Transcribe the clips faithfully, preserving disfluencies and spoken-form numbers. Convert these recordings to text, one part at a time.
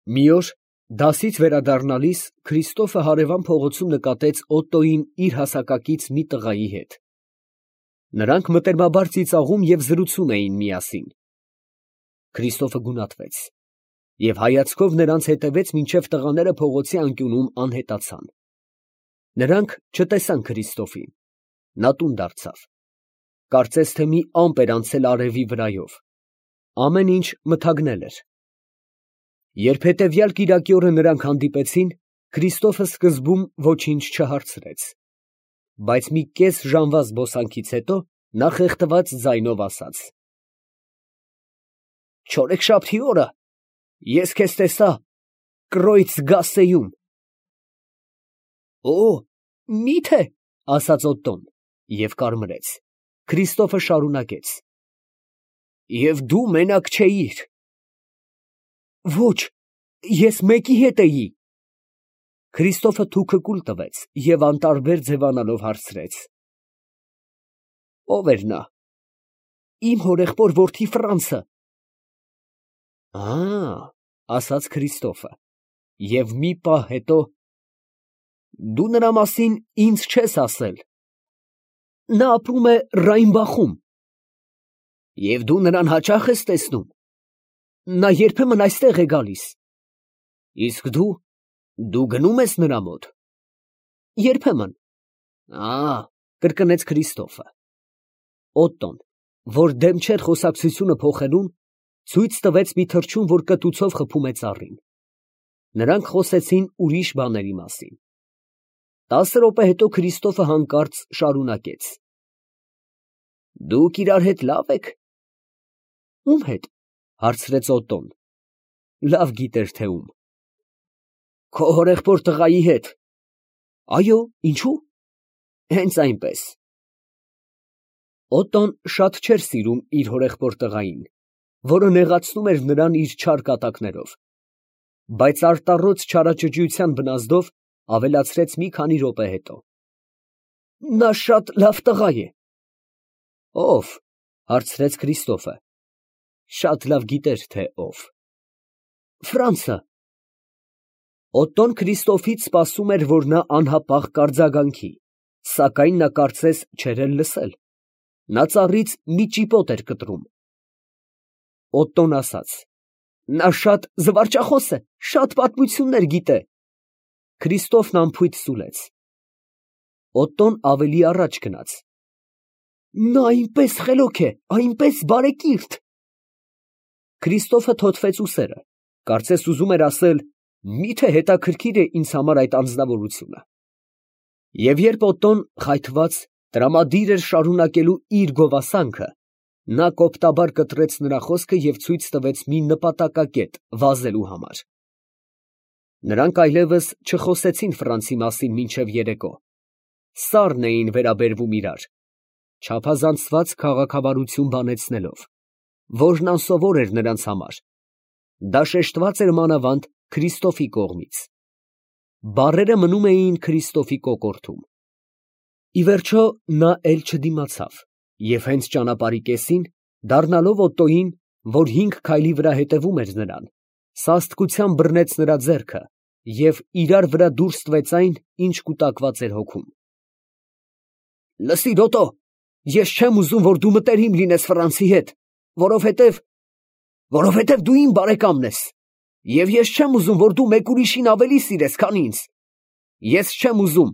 Մի օր դասից վերադառնալիս Քրիստոֆը հարևան փողոցում նկատեց Օտտոյին իր հասակակից մի տղայի հետ. նրանք մտերմաբար ծիծաղում և զրուցում էին միասին։ Քրիստոֆը գունատվեց և հայացքով նրանց հետևեց, մինչև տղաները փողոցի անկյունում անհետացան։ Նրանք չտեսան Քրիստոֆին, նա տուն դարձավ, կարծես թե մի ամպ էր անցել արևի վրայով, ամեն ինչ մթագնել էր։ Երբ հետևյալ կիրակի օրը նրանք հանդիպեցին, Քրիստոֆը սկզբում ոչինչ չհարցրեց, բայց մի կես ժամվա զբոսանքից հետո նա խեղդված ձայնով ասաց. «Չորեքշաբթի օրը ես քեզ տեսա Կրոյց Գասսեում»։ «Օ, մի՞թե», ասաց Օտտոն և կարմրեց։ Քրիստոֆը շարունակեց. «Եվ դու մենակ չէիր»։ «Ոչ, ես մեկի հետ էի»։ Քրիստոֆը թուքը կուլ տվեց և անտարբեր ձևանալով հարցրեց. «Ո՞վ էր նա»։ «Իմ հորեղբոր որդի Ֆրանցը»։ «Ա՜, ֊ ասաց Քրիստոֆը, և մի պահ հետո, ֊ դու նրա մասին ինձ չես ասել»։ «Նա ապրում է Ռայմբախում»։ «Եվ դու նրան հաճա՞խ ես տեսնում»։ «Նա երբեմն այստեղ է գալիս»։ «Իսկ դու, դու գնո՞ւմ ես նրա մոտ»։ «Երբեմն»։ «Ա՜, ֊ կրկնեց Քրիստոֆը։ Օտտոն, որ դեմ չէր խոսակցությունը փոխելուն, ցույց տվեց մի թռչուն, որ կտուցով խփում է ծառին։ Նրանք խոսեցին ուրիշ բաների մասին։ Տասը րոպե հետո Քրիստոֆը հանկարծ շարունակեց. «Դուք իրար հետ լա՞վ եք»։ «Ում հետ» հարցրեց Օտտոն. լավ գիտեր, թե ում։ «Քո հորեղբոր տղայի հետ»։ «Այո, ինչո՞ւ»։ «Հենց այնպես»։ Օտտոն շատ չէր սիրում իր հորեղբոր տղային, որը նեղացնում էր նրան իր չար կատակներով, բայց արտառոց չարաճճիության բնազդով ավելացրեց մի քանի րոպե հետո. «Նա շատ լավ տղա է»։ «Ո՞վ» հարցրեց Քրիստոֆը. շատ լավ գիտեր, թե ով։ «Ֆրանցը»։ Օտտոն Քրիստոֆից սպասում էր, որ նա անհապաղ կարձագանքի, սակայն նա կարծես չէր էլ լսել, նա ծառից մի ճիպոտ էր կտրում։ Օտտոն ասաց. «Նա շատ զվարճախոս է, շատ պատմություններ գիտե»։ Քրիստոֆն անփույթ սուլեց։ Օտտոն ավելի առաջ գնաց. «Նա այնպես խելոք է, այնպես բարեկիրթ»։ Քրիստոֆը թոթվեց ուսերը, կարծես ուզում էր ասել. «Մի՞թե հետաքրքիր է ինձ համար այդ անձնավորությունը»։ Եվ երբ Օտտոն, խայթված, տրամադիր էր շարունակելու իր գովասանքը, նա կոպտաբար կտրեց նրա խոսքը և ցույց տվեց մի նպատակակետ վազելու համար։ Նրանք այլևս չխոսեցին Ֆրանցի մասին մինչև երեկո, սառն էին վերաբերվում իրար, չափազանցված քաղաքավարություն բանեցնելով, որն անսովոր էր նրանց համար, դա շեշտված էր մանավանդ Քրիստոֆի կողմից։ Բառերը մնում էին Քրիստոֆի կոկորդում։ Ի վերջո նա էլ չդիմացավ և հենց ճանապարհի կեսին, դառնալով Օտտոյին, որ հինգ քայլի վրա հետևում էր նրան, սաստկությամբ բռնեց նրա ձեռքը և իրար վրա դուրս տվեց այն, ինչ կուտակված էր հոգում։ «Լսիր, Օտտո, ես չեմ ուզում, որ դու մտերիմ լինես Ֆրանցի հետ, որովհետև… որովհետև դու իմ բարեկամն ես, և ես չեմ ուզում, որ դու մեկ ուրիշին ավելի սիրես, քան ինձ։ Ես չեմ ուզում…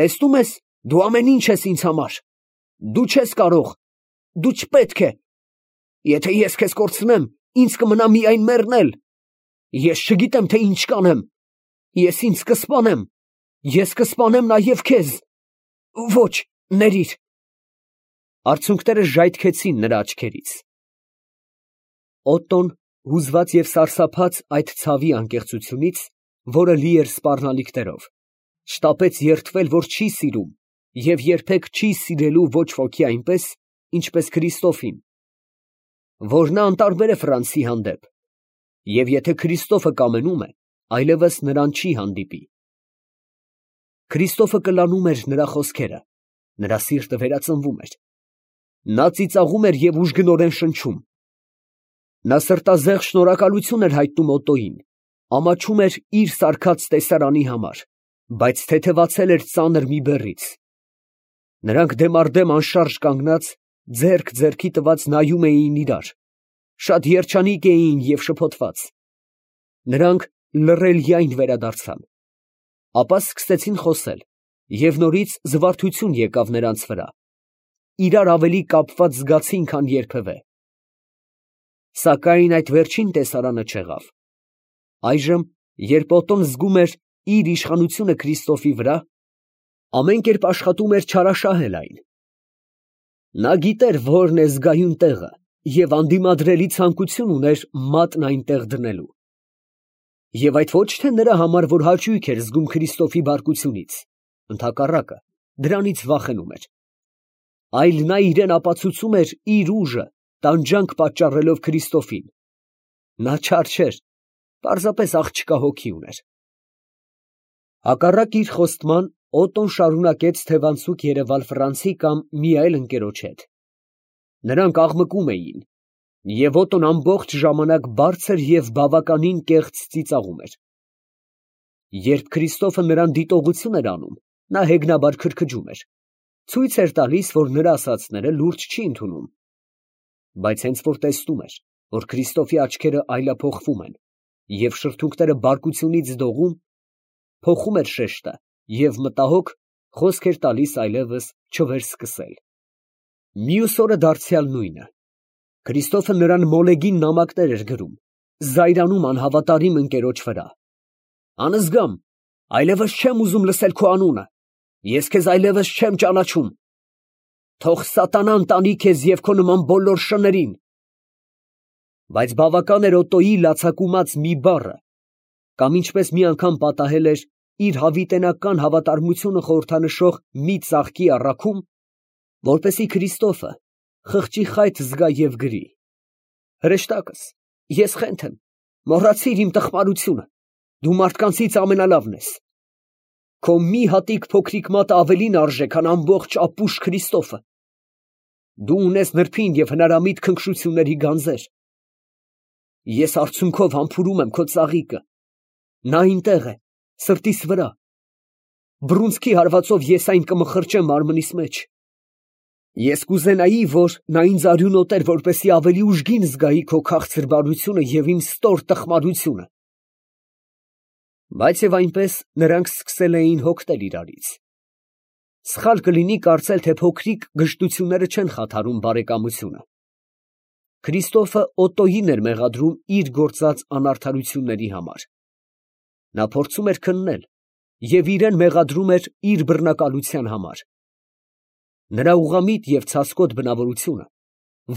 տեսնում ես, դու ամեն ինչ ես ինձ համար… դու չես կարող… դու չպետք է… եթե ես քեզ կորցնեմ, ինձ կմնա միայն մեռնել… ես չգիտեմ, թե ինչ կանեմ… ես ինձ կսպանեմ… ես կսպանեմ նաև քեզ… Ոչ, ներիր…»։ Արցունքները ժայթքեցին նրա աչքերից։ Օտտոն, հուզված և սարսափած այդ ցավի անկեղծությունից, որը լի էր սպառնալիքներով, շտապեց երդվել, որ չի սիրում և երբեք չի սիրելու ոչ ոքի այնպես, ինչպես Քրիստոֆին, որ նա անտարբեր է Ֆրանցի հանդեպ, և եթե Քրիստոֆը կամենում է, այլևս նրան չի հանդիպի։ Քրիստոֆը կլանում էր նրա խոսքերը, նրա սիրտը վերածնվում էր։ Նա ծիծաղում էր և ուժգնորեն շնչում։ Նա սրտազեղ շնորհակալություն էր հայտնում Օտտոյին, ամաչում էր իր սարքած տեսարանի համար, բայց թեթևացել էր ծանր մի բեռից։ Նրանք դեմառդեմ անշարժ կանգնած, ձեռք ձեռքի տված նայում էին իրար, շատ երջանիկ էին և շփոթված։ Նրանք լռելյայն վերադարձան, ապա սկսեցին խոսել, և նորից զվարթություն եկավ նրանց վրա, իրար ավելի կապված զգացին, քան երբևէ։ Սակայն այդ վերջին տեսարանը չեղավ։ Այժմ, երբ Օտոն զգում էր իր իշխանությունը Քրիստոֆի վրա, ամեն կերպ աշխատում էր չարաշահել այն։ Նա գիտեր որն է զգայուն տեղը և անդիմադրելի ցանկություն ուներ մատն այնտեղ դնելու։ Եվ այդ ոչ թե նրա համար, որ հաճույք էր զգում Քրիստոֆի բարկությունից, ընդհակառակը, դրանից վախենում էր, այլ նա իրան ապացուցում էր իր ուժը, տանջանք պատճառելով Քրիստոֆին։ Նա չար չէր, պարզապես աղջկա հոգի ուներ։ Հակառակ իր խոստման, Օտոն շարունակեց թևանցուկ երևալ Ֆրանցի կամ մի այլ ընկերոջ հետ։ Նրանք աղմկում էին, և Օտոն ամբողջ ժամանակ բարձր և բավականին կեղծ ծիծաղում էր։ Երբ Քրիստոֆը նրան դիտողություն էր անում, նա հեգնաբար քրքջում էր, ցույց էր տալիս, որ նրա ասածները լուրջ չի ընդունում։ Բայց հենց որ տեսնում էր, որ Քրիստոֆի աչքերը այլափոխվում են և շրթունքները բարկությունից դողում, փոխում էր շեշտը և մտահոգ խոսք էր տալիս այլևս չվերսկսել։ Մյուս օրը դարձյալ նույնը։ Քրիստոֆը նրան մոլեգին նամակներ էր գրում, զայրանում անհավատարիմ ընկերոջ վրա։ Անզգամ, այլևս չեմ ուզում լսել քո անունը, ես քեզ այլևս չեմ ճանաչում։ Թող սատանան տանի քեզ և քո նման բոլոր շներին։ Բայց բավական էր Օտոյի լացակումած մի բառը, կամ ինչպես մի անգամ պատահել էր, իր հավիտենական հավատարմությունը խորհրդանշող մի ծաղկի առաքում, որպեսզի Քրիստոֆը խղճի խայթ զգա և գրի. հրեշտակս, ես խենթ եմ, մոռացիր իմ տխմարությունը, դու մարդկանցից ամենալավն ես։ Քո մի հատիկ փոքրիկ մատը ավելին արժե, քան ամբողջ ապուշ Քրիստոֆը։ Դու ունես նրբին և հնարամիտ քնքշությունների գանձեր։ Ես արցունքով համբուրում եմ քո ծաղիկը, նա այնտեղ է, սրտիս վրա։ Բռունցքի հարվածով ես այն կմխրճեմ մարմնիս մեջ։ Ես կուզենայի, որ նա ինձ արյունոտեր, որպեսզի ավելի ուժգին զգայի քո քաղցր բարությունը և իմ ստոր տխմարությունը։ Բայց և այնպես նրանք սկսել էին հոգնել իրարից։ Սխալ կլինի կարծել, թե փոքրիկ գժտությունները չեն խաթարում բարեկամությունը։ Քրիստոֆը Օտոյին էր մեղադրում իր գործած անարդարությունների համար։ Նա փորձում էր քննել և իրան մեղադրում էր իր բռնակալության համար։ Նրա ուղղամիտ և ցասկոտ բնավորությունը,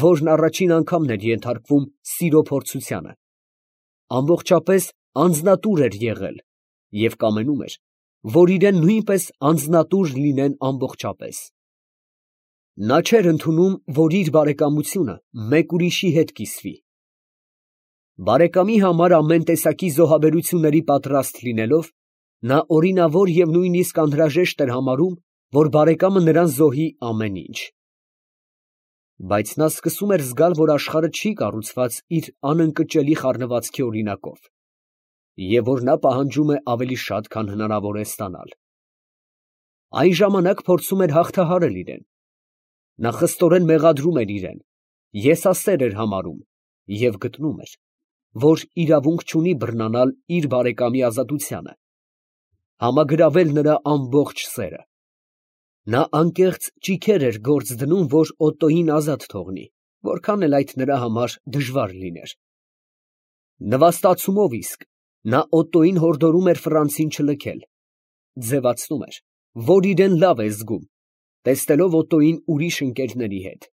որն առաջին անգամն էր ենթարկվում սիրո փորձությանը, ամբողջապես անձնատուր էր եղել և կամենում էր, որ իրեն նույնպես անձնատուր լինեն ամբողջապես։ Նա չէր ընդունում, որ իր բարեկամությունը մեկ ուրիշի հետ կիսվի։ Բարեկամի համար ամեն տեսակի զոհաբերությունների պատրաստ լինելով, նա օրինավոր և նույնիսկ անհրաժեշտ էր համարում, որ բարեկամը նրան զոհի ամեն ինչ։ Բայց նա սկսում էր զգալ, որ աշխարհը չի կառուցված իր անընկճելի խառնվածքի օրինակով, և որ նա պահանջում է ավելի շատ, քան հնարավոր է ստանալ։ Այն ժամանակ փորձում էր հաղթահարել իրեն։ Նա խստորեն մեղադրում էր իրան, եսասեր էր համարում և գտնում էր, որ իրավունք չունի բռնանալ իր բարեկամի ազատությանը, համագրավել նրա ամբողջ սերը։ Նա անկեղծ ճիգեր էր գործ դնում, որ Օտոյին ազատ թողնի, որքան էլ այդ նրա համար դժվար լիներ։ Նվաստացումով իսկ նա Օտոյին հորդորում էր Ֆրանցին չլքել, ձևացնում էր, որ իրեն լավ է զգում, տեսնելով Օտոյին ուրիշ ընկերների հետ։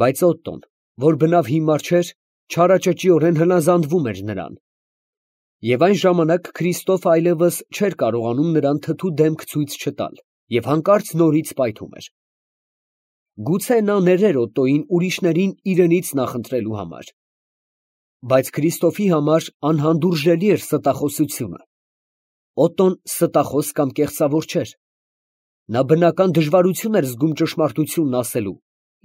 Բայց Օտոն, որ բնավ հիմար չէր, չարաճճիորեն հնազանդվում էր նրան։ Եվ այն ժամանակ Քրիստոֆը այլևս չէր կարողանում նրան թթու դեմք ցույց չտալ և հանկարծ նորից պայթում էր։ Գուցե նա ներեր Օտոյին ուրիշներին իրենից նախընտրելու համար։ Բայց Քրիստոֆի համար անհանդուրժելի էր ստախոսությունը։ Օտոն ստախոս կամ կեղծավոր չէր։ Նա բնական դժվարություն էր զգում ճշմարտությունն ասելու,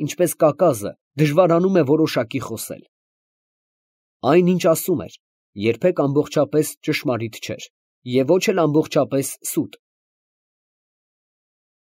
ինչպես կակազը դժվարանում է որոշակի խոսել։ Այն, ինչ ասում էր, երբեք ամբողջապես ճշմարիտ չէր և ոչ էլ ամբողջապես սուտ։